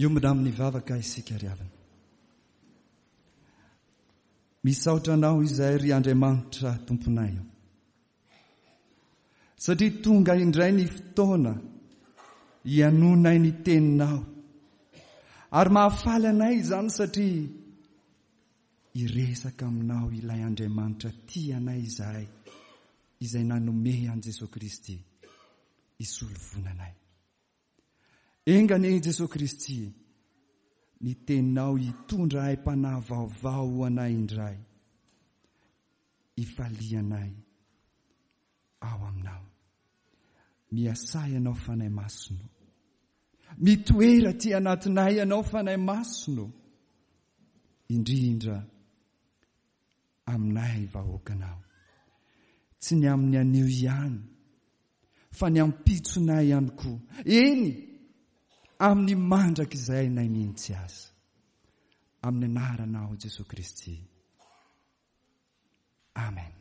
Hiombona amin'ny vavaka isika ry havana. Misaotra Anao izahay ry Andriamanitra Tomponay o. Satria tonga indray ny fotoana hihainoanay ny Teninao. Ary mahafaly anay izany satria hiresaka aminao ilay Andriamanitra tia anay izahay izay nanome an'i Jesoa Kristy hisolo voina anay. Enga anie i Jesoa Kristy ny teninao hitondra aim-panahy vaovao ho anay indray, hifalianay ao aminao. Miasà Ianao Fanahy Masina o. Mitoera aty anatinay Ianao Fanahy Masina o. Indrindra aminay vahoakanao. Tsy ny amin'ny anio ihany, fa ny ampitsonay ihany koa. Eny, amin'ny mandrakizainay mihitsy aza. Amin'ny anaranao Jesoa Kristy. Amen.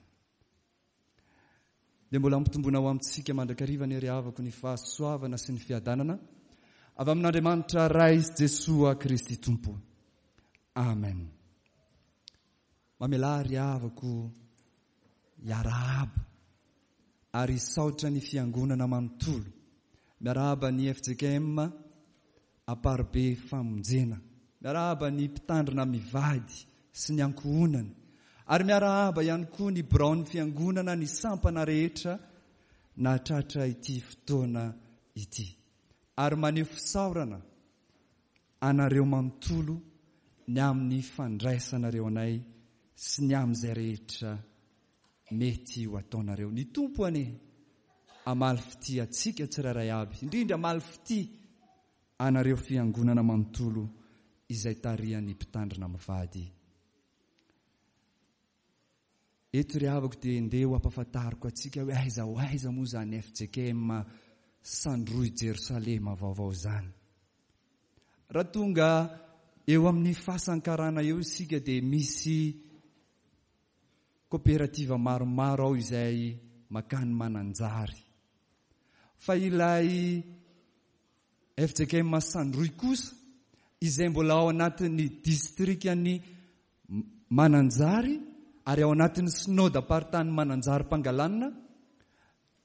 Dia mbola ampitomboina ho amintsika mandrakariva anie ry havako ny fahasoavana sy ny fiadanana avy amin'Andriamanitra Ray sy Jesoa Kristy Tompo. Amen. Mamelà ry havako hiarahaba ary hisaotra ny Fiangonana manontolo. Miarahaba ny fjkm Amparibe Famonjena. Miarahaba ny Mpitandrina mivady sy ny ankohonany. Ary miarahaba ihany koa ny biraon'ny Fiangonana ny sampana rehetra nahatratra ity fotoana ity. Ary maneho fisaorana anareo manontolo ny amin'ny fandraisanareo anay sy ny amin'izay rehetra mety ho ataonareo. Ny Tompo anie hamaly fitia antsika tsirairay avy, indrindra hamaly fitia anareo fiangonana manontolo izay tarihan'ny mpitandrina mivady. Eto ry havako dia ndeha ho ampafantariko antsika hoe aiza ho aiza moa izany fjkm Sandroy Jerosalema vaovao izany. Raha tonga eo amin'ny fasan-karana eo isika dia misy koperativa maromaro ao izay makany Mananjary. Fa ilay fjkm Sandroy kosa izay mbola ao anatin'ny distrikan'i Mananjary ary ao anatin'ny Synodam-paritany Mananjary Pangalanina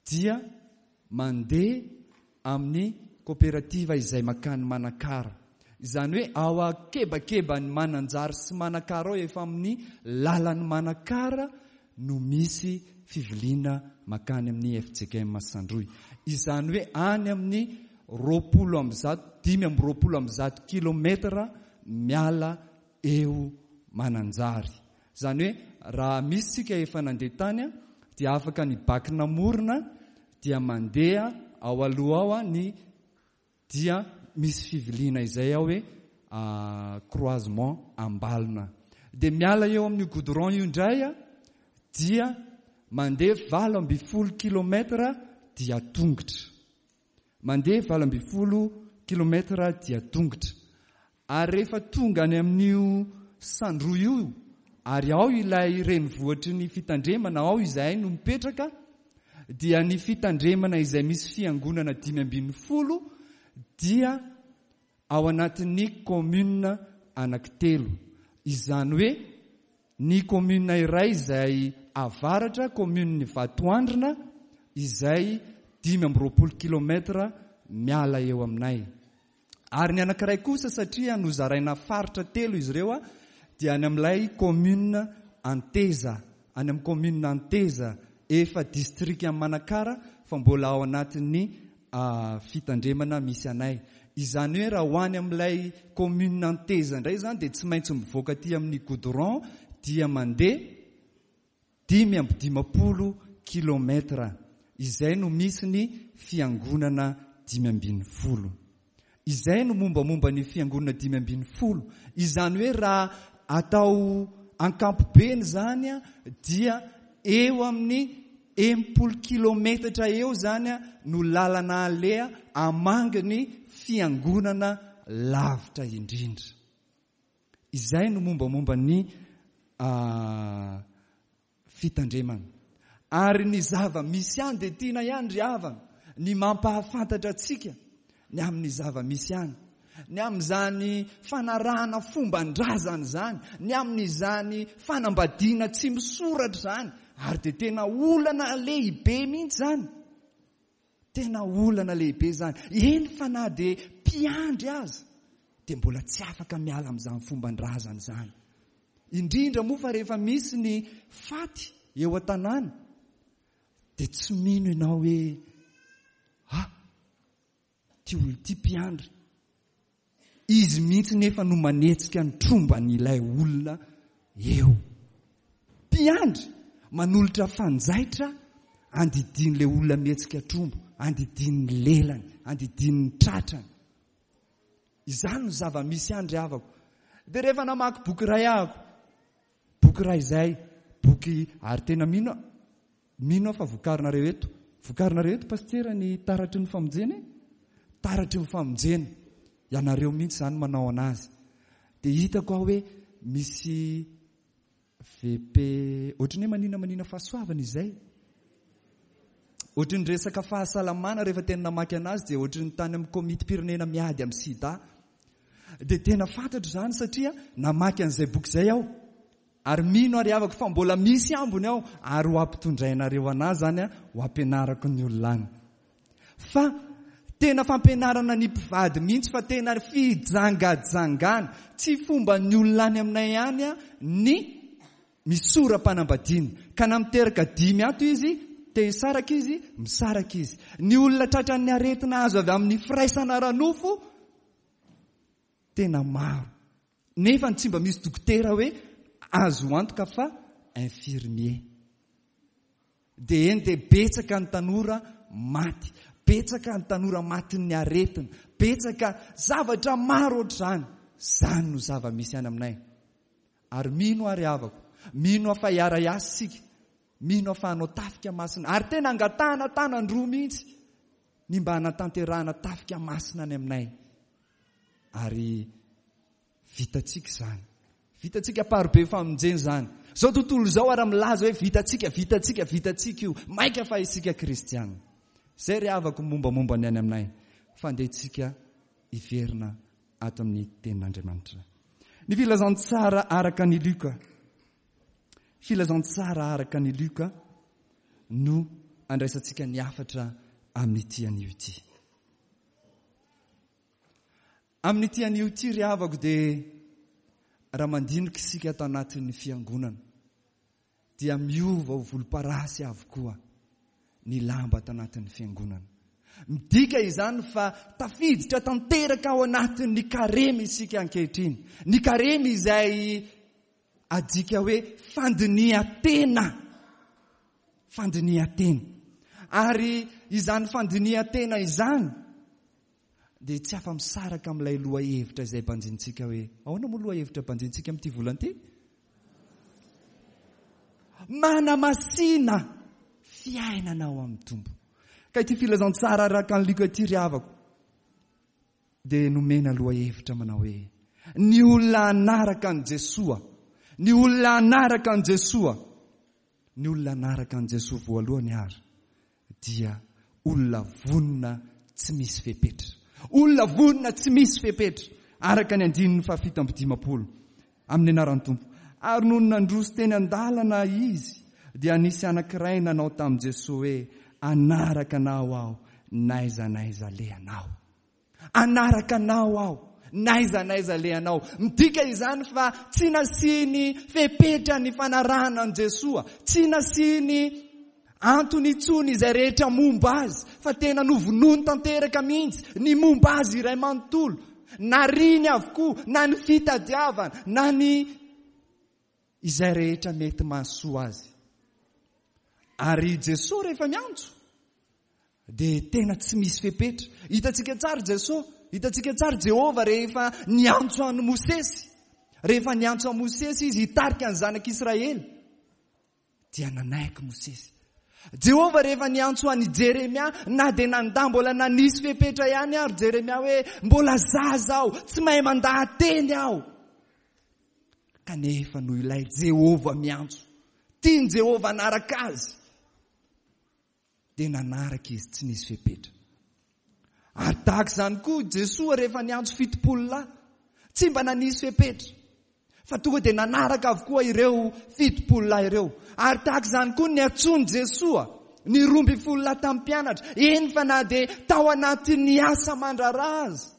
dia mandeha amin'ny koperativa izay makany Manakara. Izany hoe ao akebakeban'i Mananjary sy Manakara ao efa amin'ny lalan'i Manakara no misy fiviliana makany amin'ny fjkm Sandroy. Izany hoe any amin'ny 120, 125 kilometatra miala eo Mananjary. Izany hoe raha misy tsika efa nandeha tany dia afaka ny bac namorona dia mandeha ao aloha ao ny dia misy fiviliana izay ao hoe croisement Ambalona. Dia miala eo amin'io goudron io indray dia mandeha 18 kilomètre dia tongotra. Mandeha 18 kilomètre dia tongotra. Ary rehefa tonga any amin'io Sandroy io, ary ao ilay renivohitry ny fitandremana, ao izahay no mipetraka, dia ny fitandremana izay misy fiangonana 15 dia ao anatin'ny commune anankitelo. Izany hoe ny commune iray izay avaratra, commune-n'i Vatoandrina, izay 25 kilomètre miala eo aminay. Ary ny anankiray kosa satria nozaraina faritra telo izy ireo dia any amin'ilay commune Anteza, any amin'ny commune Anteza, efa distrikan'i Manakara fa mbola ao anatin'ny fitandremana misy anay. Izany hoe raha ho any amin'ilay commune Anteza indray izany dia tsy maintsy mivoaka aty amin'ny goudron dia mandeha 55 kilomètre, izay no misy ny fiangonana 15. Izay no mombamomba ny fiangonana 15. Izany hoe raha atao ankampobeny izany dia eo amin'ny 60 kilometatra eo izany no lalana aleha hamangy ny fiangonana lavitra indrindra. Izay no mombamomba ny fitandremana. Ary ny zava-misy any dia tiana ihany ry havana ny mampahafantatra antsika ny amin'ny zava-misy any. Ny amin'izany fanarahana fomban-drazana izany, ny amin'izany fanambadiana tsy misoratra izany, ary dia tena olana lehibe mihitsy izany. Tena olana lehibe izany. Eny fa na dia mpiandry aza dia mbola tsy afaka miala amin'izany fomban-drazana izany. Indrindra moa fa rehefa misy ny faty eo an-tanàna dia tsy mino ianao hoe ah, Ity olona ity mpiandry. Izy mihitsy nefa no manetsika ny tromban'ilay olona eo. Mpiandry manolotra fanjaitra andidian'ilay olona mihetsika tromba, andidian'ny lelany, andidian'ny tratrany. Izany no zava-misy any ry havako. Dia rehefa namaky boky iray ahako, boky iray izay, boky ary tena mino aho, Mino aho fa vokarinareo eto. Vokarinareo eto Pasitera ny taratry ny famonjena e? Taratry ny famonjena. Ianareo mihitsy izany manao anazy. Dia hitako aho hoe misy VP ohatry ny hoe manina manina fahasoavana izay. Ohatry ny resaka fahasalamana rehefa tena namaky anazy dia ohatry ny tany amin'ny komitim-pirenena miady amin'ny sida. Dia tena fantatro izany satria namaky an'izay boky izay aho. Ary mino ary havako fa mbola misy ambiny ao ary ho ampitondrainareo anah zany a, ho ampianarako ny olona any. Fa tena fampianarana ny mpivady mihitsy fa tena fijangajangana. Tsy fomban'ny olona any aminay any a ny misora-panambadiana. Ka na miteraka dimy ato izy, te hisaraka izy, misaraka izy. Ny olona tratran'ny aretina azo avy amin'ny firaisana ara-nofo tena maro. Nefa tsy mba misy dokotera hoe azo antoka fa infirmier. Dia eny dia betsaka ny tanora maty, betsaka ny tanora matin'ny aretina, betsaka zavatra maro ohatr'izany. Izany no zava-misy any aminay. Ary mino aho ry havako, mino aho fa hiara-hiasa isika, mino aho fa hanao tafika masina, ary tena angatahana tanan-droa mihitsy ny mba hanatanterahana tafika masina any aminay. Ary vitantsika izany. Vitantsika parobe famonjena izany. Izao tontolo izao ary milaza hoe vitantsika, vitantsika, vitantsika io. Maika fa isika kristiana. Izay ry havako mombamomba ny any aminay. Fa andeha tsika hiverina ato amin'ny tenin'Andriamanitra. Ny filazantsara araka ny Lioka. Filazantsara araka ny Lioka no andraisantsika ny hafatra amin'ity anio ity. Amin'ity anio ity ry havako dia raha mandinika isika ato anatin'ny fiangonana dia miova ho volomparasy avokoa ny lamba ato anatin'ny fiangonana. Midika izany fa tafiditra tanteraka ao anatin'ny karemy isika ankehitriny. Ny karemy izay adika hoe fandinihan-tena. Fandinihan-tena. Ary izany fandinihan-tena izany dia tsy afa-misaraka amin'ilay lohahevitra izay banjinintsika hoe, ahoana moa lohahevitra banjinintsika amin'ity volana ity? Manamasina fiainana ao amin'ny Tompo. Ka ity filazantsara araka an'i Lioka ity ry havako dia nomena lohahevitra manao hoe ny olona hanaraka an'i Jesoa, ny olona hanaraka an'i Jesoa. Ny olona hanaraka an'i Jesoa voalohany ary dia olona vonona tsy misy fepetra. Olona vonona tsy misy fepetra, araka ny andininy fahafito amby dimampolo, amin'ny anaran'ny Tompo. Ary nony nandroso teny an-dalana izy, dia nisy anankiray nanao tamin'i Jesoa hoe, Hanaraka anao aho n'aiza n'aiza alehanao. Hanaraka anao aho n'aiza n'aiza alehanao. Midika izany fa tsy nasiany fepetra ny fanarahana an'i Jesoa, tsy nasiany antony intsony izay rehetra momba azy, fa tena novonoiny tanteraka mihitsy ny momba azy iray manontolo. Nariany avokoa na ny fitadiavana na ny izay rehetra mety mahasoa azy. Ary Jesoa rehefa miantso Dia tena tsy misy fepetra. Hitantsika tsara Jesoa, hitantsika tsara Jehovah rehefa niantso an'i Mosesy. Rehefa niantso an'i Mosesy izy hitarika ny zanak'Israely, dia nanaiky Mosesy. Jehovah rehefa niantso an'i Jeremia, na dia nandà mbola nanisy fepetra ihany ary Jeremia hoe mbola zaza aho, tsy mahay mandaha-teny aho. Kanefa noho ilay Jehovah miantso, tian'i Jehovah hanaraka azy. Dia nanaraka izy tsy nisy fepetra. Ary tahaka izany koa Jesoa rehefa niantso 70 lahy, tsy mba nanisy fepetra, fa tonga dia nanaraka avokoa ireo 70 lahy ireo. Ary tahaka izany koa niantsoan'i Jesoa ny 12 lahy tamin'ny mpianatra, eny fa na dia tao anatin'ny asa aman-draharaha aza,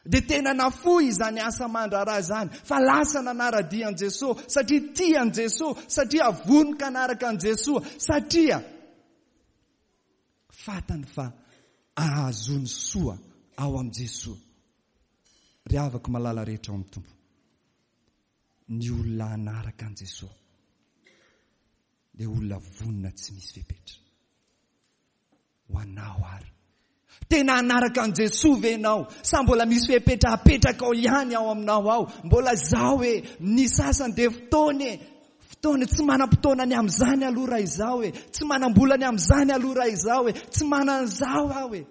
dia tena nafoy izany asa aman-draharaha izany, fa lasa nanara-dia an'i Jesoa, satria tia an'i Jesoa, satria vonoka hanaraka an'i Jesoa, satria fantany fa ahazoany soa ao amin'i Jesoa. Ry havako malala rehetra ao amin'ny Tompo, ny olona hanaraka an'i Jesoa dia olona vonona tsy misy fepetra. Ho anao ary. Tena hanaraka an'i Jesoa ve ianao? Sa mbola misy fepetra apetrakao ihany ao aminao ao? Mbola izaho e, ny sasany dia fotoana e, fotoana, tsy manam-potoana ny amin'izany aloha raha izaho e, tsy manam-bola ny amin'izany aloha raha izaho e, tsy manana an'izao aho e.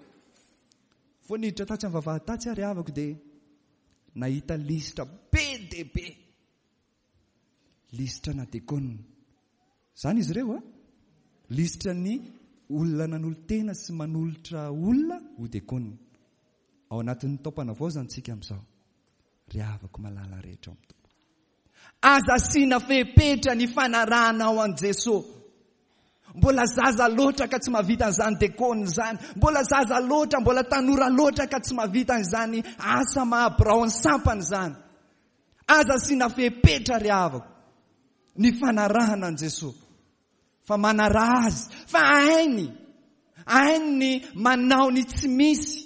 Vao niditra tatsy amin'ny vavahady tatsy ary havako dia nahita lisitra be dia be. Lisitra na dekona. Izany izy ireo a. Lisitra ny olona nanolo-tena sy manolotra olona ho dekona. Ao anatin'ny taom-panavaozana isika amin'izao. Ry havako malala rehetra ao amin'ny Tompo. Aza asiana fepetra ny fanarahanao an'i Jesoa. Mbola zaza loatra ka tsy mahavita an'izany dekona izany. Mbola zaza loatra, mbola tanora loatra ka tsy mahavita an'izany asa maha biraon'ny sampana izany. Aza asiana fepetra ry havako ny fanarahana an'i Jesoa fa manaraha Azy fa hainy, hainy ny manao ny tsy misy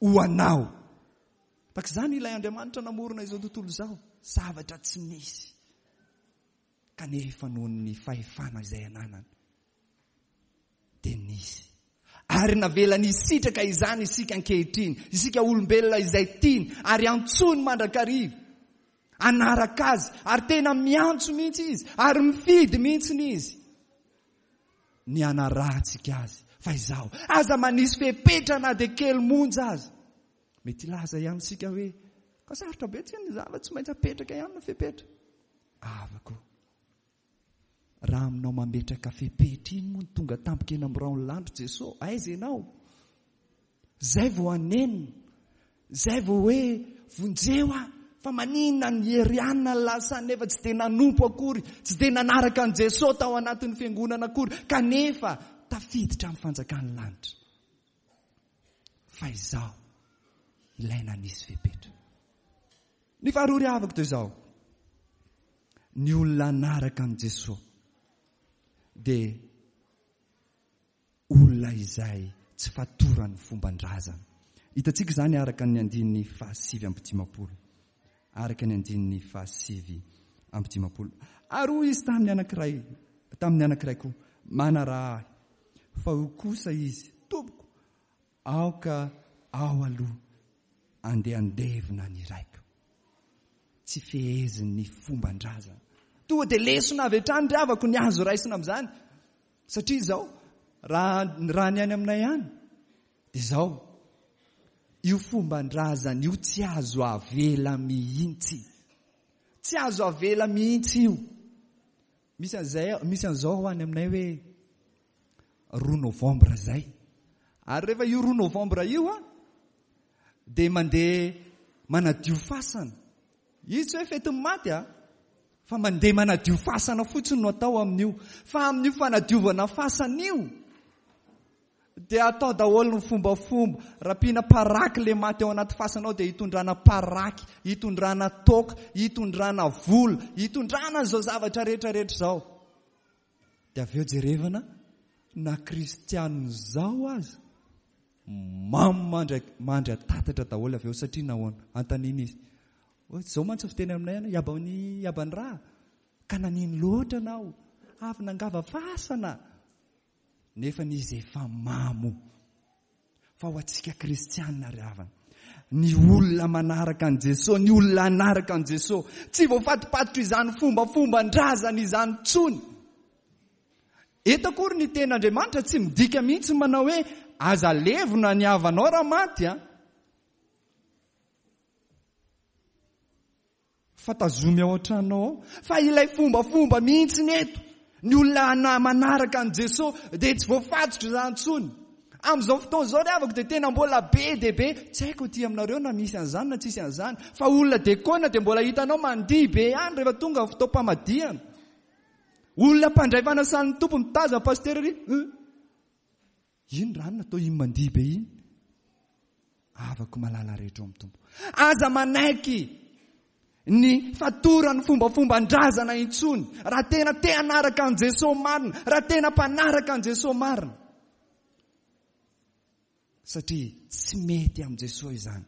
ho anao. Tahaka izany ilay Andriamanitra namorona izao tontolo izao, zavatra tsy misy kanefa noho ny fahefana izay ananany dia nisy. Ary navelany hisitraka izany isika ankehitriny, isika olombelona izay tiany ary antsoiny mandrakariva hanaraka azy, ary tena miantso mihitsy izy, ary mifidy mihitsy izy ny hanarahantsika azy. Fa izaho, aza manisy fepetra na dia kely monja aza. Mety hilaza ihany isika hoe, ka sarotra be tsy ny zava, tsy maintsy apetraka ihany ny fepetra. Havako. Raha aminao mametraka fepetra iny moa no tonga tampoka eny amin'ny rahon'ny lanitra Jeso, aiza ianao? Zay vao hanenina, zay vao hoe vonjeo aho, fa maninona ny herianina ny lasa nefa tsy dia nanompo akory, tsy dia nanaraka an'i Jeso tao anatin'ny fiangonana akory, kanefa tafiditra amin'ny fanjakan'ny lanitra. Fa izaho ilay nanisy fepetra. Ny faharoa ry havako dia izao, ny olona hanaraka an'i Jesoa dia olona izay tsy fatoran'ny fomban-drazana. Hitantsika izany araka ny andininy faha-59. Araka ny andininy faha-59. Ary hoy izy tamin'ny anankiray, tamin'ny anankiray koa, manaraha ahy. Fa hoy kosa izy, Tompoko, Aoka aho aloha andeha handevina ny raiko. Tsy fehezin'ny fomban-drazana. Tonga dia lesona avy hatrany ry havako ny azo raisina amin'izany. Satria izao, raha raha ny any aminay any, dia izao, io fomban-drazana io tsy azo avela mihitsy. Tsy azo avela mihitsy io. Misy an'izay, misy an'izao any aminay hoe 2 novembre izay. Ary rehefa io 2 novembre io a, dia mandeha manadio fasana. Izy tsy hoe fetin'ny maty a, fa mandeha manadio fasana fotsiny no atao amin'io. Fa amin'io fanadiovana fasana io, dia atao daholo ny fombafomba. Raha ampiana paraky le maty ao anaty fasana ao dia hitondrana paraky, hitondrana toaka, hitondrana vola, hitondrana an'izao zavatra rehetra rehetra izao. Dia avy eo jerevana na kristianina izao aza mamo mandry mandry an-tatatra daholo avy eo satria nahoana? Anontaniana izy. Hoe izao mantsy fiteny aminay any, iaban'ny iaban'ny raha. Ka nanino loatra anao? Avy nangava fasana. Nefa izy efa mamo. Fa ho antsika kristianina ry havana, ny olona manaraka an'i Jesoa, ny olona hanaraka an'i Jesoa, tsy voafatopatotra izany fombafomban-drazana izany intsony. Eto akory ny tenin'Andriamanitra tsy midika mihitsy manao hoe aza levona ny havanao raha maty a. Fa tazomy ao an-tranonao ao. Fa ilay fombafomba mihitsy ny eto. Ny olona manaraka an'i Jesoa dia tsy voafatotra izany intsony. Amin'izao fotoana izao ry havako dia tena mbola be dia be, tsy haiko aty aminareo na misy an'izany na tsisy an'izany, fa olona dekona dia mbola hitanao mandihy be ihany rehefa tonga ny fotoam-pamadihana. Olona mpandray fanasan'ny Tompo mitazona pasitera ery, hum, iny ranona toa iny mandihy be iny. Havako malala rehetra ao amin'ny Tompo. Aza manaiky ny fatoran'ny fombafomban-drazana intsony raha tena te hanaraka an'i Jesoa marina, raha tena mpanaraka an'i Jesoa marina. Satria tsy mety amin'i Jesoa izany.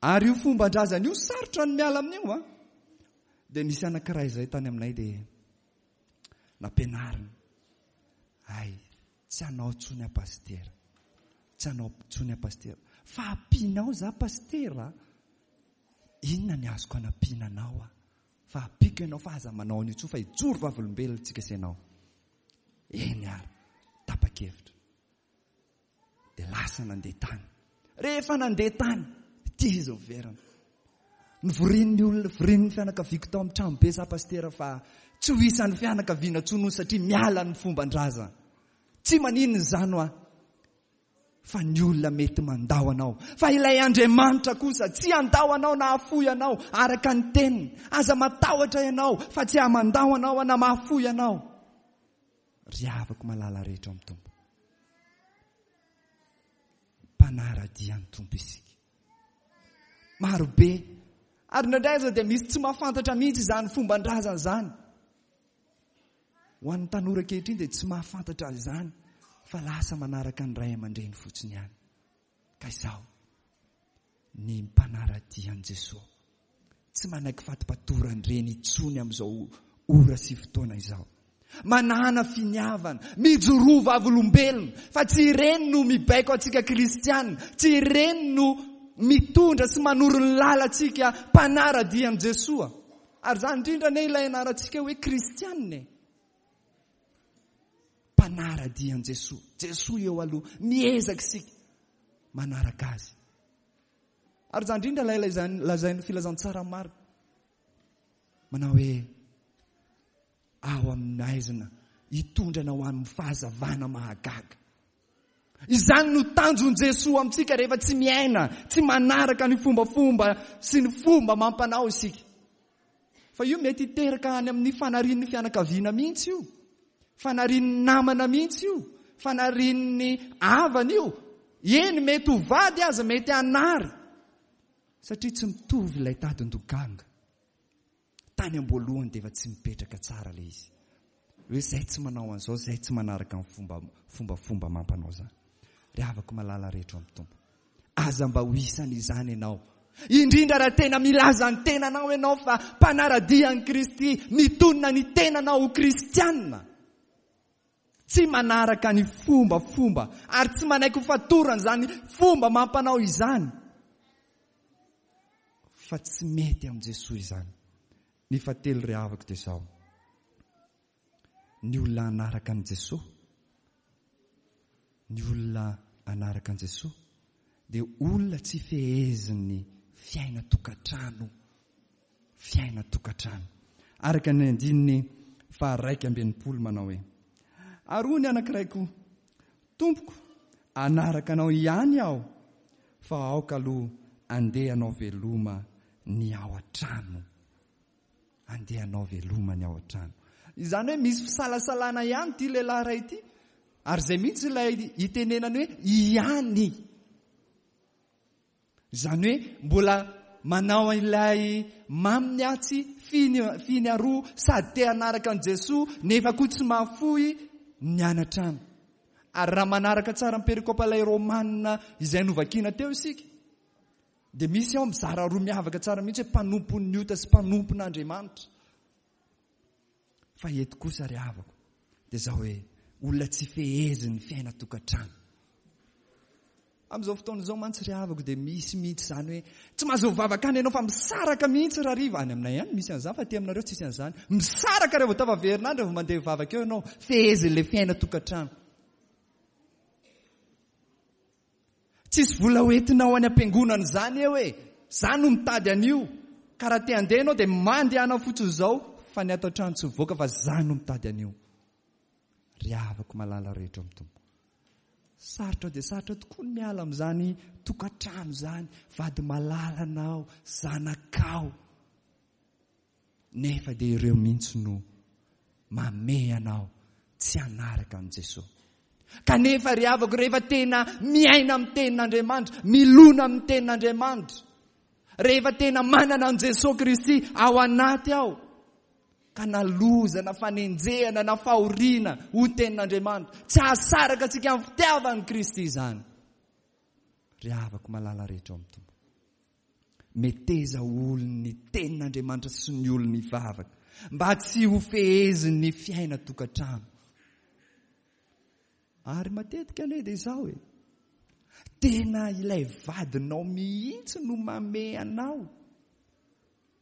Ary io fomban-drazana io sarotra ny miala amin'io an. Dia nisy anankiray izay tany aminay dia nampianarina. Hay, Tsy anao tsony aho pasitera. Tsy anao tsony aho pasitera. Fa ampianao za pasitera a. Inona ny azoko anampiana anao a? Fa ampiako ianao fa aza manao an'io tsony fa hijoro vavolombelona tsika sy ianao. Eny ary, tapa-kevitra. Dia lasa nandeha tany. Rehefa nandeha tany, ity izy miverina. Nivorian'ny olona, nivorian'ny fianakaviako tao amin'ny tranobe za pasitera fa tsy ho isan'ny fianakaviana intsony hono satria miala ny fomban-drazana. Tsy maninona izany hoa fa ny olona mety mandao anao. Fa ilay Andriamanitra kosa tsy handao anao na hahafoy anao araka ny teniny. Aza matahotra ianao fa tsy hamandao anao na mahafoy anao. Ry havako malala rehetra ao amin'ny Tompo. Mpanara-dia ny Tompo isika. Marobe. Ary indraindray aza dia misy tsy mahafantatra mihitsy izany fomban-drazana izany. Ho an'ny tanora ankehitriny dia tsy mahafantatra izany fa lasa manaraka ny ray aman-dreny fotsiny ihany. Ka izao, ny mpanara-dia an'i Jesoa tsy manaiky fatipatoran-dreny intsony amin'izao ora sy fotoana izao. Manàna finiavana, mijoroa vavolombelona fa tsy ireny no mibaiko antsika kristiana, tsy ireny no mitondra sy manoro ny lalantsika mpanara-dia an'i Jesoa. Ary izany indrindra anie ilay anarantsika hoe kristiana e! Mpanara-dia an'i Jesoa. Jesoa eo aloha. Miezaka isika manaraka Azy. Ary izany indrindra ilay lazain'ny filazantsara Marka. Manao hoe ao amin'ny haizina hitondra anao amin'ny fahazavana mahagaga. Izany no tanjon'i Jesoa amintsika rehefa tsy miaina, tsy manaraka ny fombafomba sy ny fomba amam-panao isika. Fa io mety hiteraka any amin'ny fanarian'ny fianakaviana mihitsy io, fanarian'ny namana mihitsy io, fanarian'ny havana io. Eny, mety ho vady aza, mety hanary. Satria tsy mitovy ilay tadin-dokanga. Tany am-boalohany dia efa tsy mipetraka tsara ilay izy. Hoe izay tsy manao an'izao, izay tsy manaraka ny fomba fombafomba amam-panao izany. Ry havako malala rehetra ao amin'ny Tompo. Aza mba ho isan'izany ianao. Indrindra raha tena milaza ny tenanao ianao fa mpanara-dia an'i Kristy, mitonona ny tenanao ho kristiana. Tsy manaraka ny fombafomba ary tsy manaiky ho fatorana izany fomba amam-panao izany. Fa tsy mety amin'i Jesoa izany. Ny fahatelo ry havako dia izao. Ny olona hanaraka an'i Jesoa, ny olona hanaraka an'i Jesoa dia olona tsy fehezin'ny fiainan-tokantrano, fiainan-tokantrano. Araka ny andininy faha-61 manao hoe, Ary hoy ny anankiray koa, Tompoko, hanaraka anao ihany aho, fa aoka aloha andeha hanao veloma ny ao an-trano. Andeha hanao veloma ny ao an-trano. Izany hoe misy fisalasalana ihany ity lehilahy iray ity. Ary izay mihitsy ilay itenenany hoe ihany. Izany hoe mbola manao ilay maminy atsy finy finy aroa sady te hanaraka an'i Jesoa nefa koa tsy mahafoy ny any an-trano. Ary raha manaraka tsara ny perikopa ilay Romana izay novakiana teo isika Dia misy ao mizara roa miavaka tsara mihitsy hoe mpanompon'ny ota sy mpanompon'Andriamanitra. Fa eto kosa ry havako dia izao hoe olona tsy fehezin'ny fiainan-tokantrano. Amin'izao fotoana izao mantsy ry havako dia misy mihitsy izany hoe tsy mahazo mivavaka any ianao fa misaraka mihitsy rahariva. Any aminay any misy an'izany fa aty aminareo tsisy an'izany. Misaraka rehefa tafaverina any rehefa mandeha mivavaka eo ianao. Fehezin'ilay fiainan-tokantrano. Tsisy vola ho entinao any am-piangonana izany eo e! Za no mitady an'io. Ka raha te handeha ianao dia mandehana fotsiny izao fa ny ato an-trano tsy mivoaka fa za no mitady an'io. Ry havako malala rehetra ao amin'ny Tompo. Sarotra dia sarotra tokoa ny miala amin'izany tokantrano izany, vady malalanao, zanakao. Nefa dia ireo mihitsy no mamehy anao tsy hanaraka an'i Jesoa. Kanefa ry havako, rehefa tena miaina amin'ny tenin'Andriamanitra, milona amin'ny tenin'Andriamanitra, rehefa tena manana an'i Jesoa Kristy ao anaty ao, ka na loza na fanenjehana na fahoriana ho tenin'Andriamanitra, tsy hahasaraka antsika amin'ny fitiavan'i Kristy izany. Ry havako malala rehetra ao amin'ny Tompo. Meteza ho olon'ny tenin'Andriamanitra sy ny olon'ny vavaka, mba tsy ho fehezin'ny fiainan-tokantrano. Ary matetika anie dia izao e, tena ilay vadinao mihitsy no mamehy anao.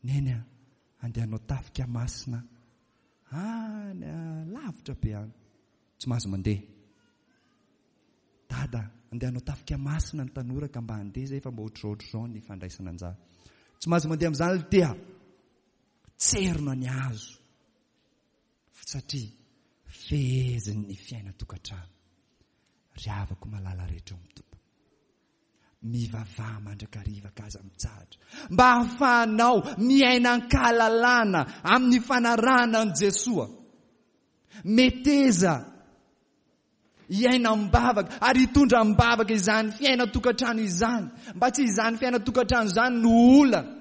Neny a, andeha hanao tafika masina any lavitra be any. Tsy mahazo mandeha. Dada, andeha hanao tafika masina ny tanora ka mba handeha izay fa mba ohatrohatr'izao ny fandraisana anjara. Tsy mahazo mandeha amin'izany ry tia. Tserona ny hazo. Satria fehezin'ny fiainan-tokantrano. Ry havako malala rehetra ao amin'ny Tompo. Mivavaha mandrakariva ka aza mitsahatra. Mba hahafahanao miaina an-kahalalana amin'ny fanarahana an'i Jesoa. Meteza hiaina am-bavaka ary hitondra am-bavaka izany fiainan-tokantrano izany, mba tsy izany fiainan-tokantrano izany no olana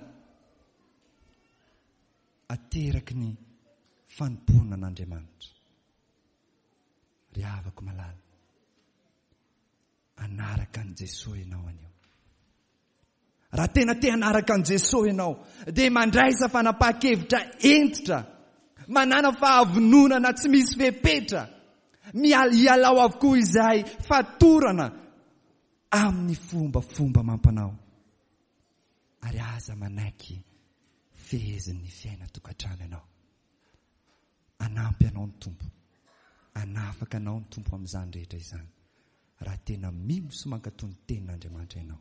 ateraky ny fanompoana an'Andriamanitra. Ry havako malala, hanaraka an'i Jesoa ianao anio. Raha tena te hanaraka an'i Jesoa ianao, dia mandraisa fanapahan-kevitra hentitra, manàna fahavononana tsy misy fepetra, mialao avokoa izay fatorana amin'ny fombafomba amam-panao, ary aza manaiky fehezin'ny fiainan-tokantrano ianao. Hanampy anao ny Tompo. Hanafaka anao ny Tompo amin'izany rehetra izany, raha tena mino sy mankatò ny Tenin'Andriamanitra ianao.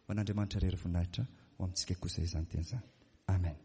Ho an'Andriamanitra irery voninahitra, ho amintsika kosa izany teny izany. Amen.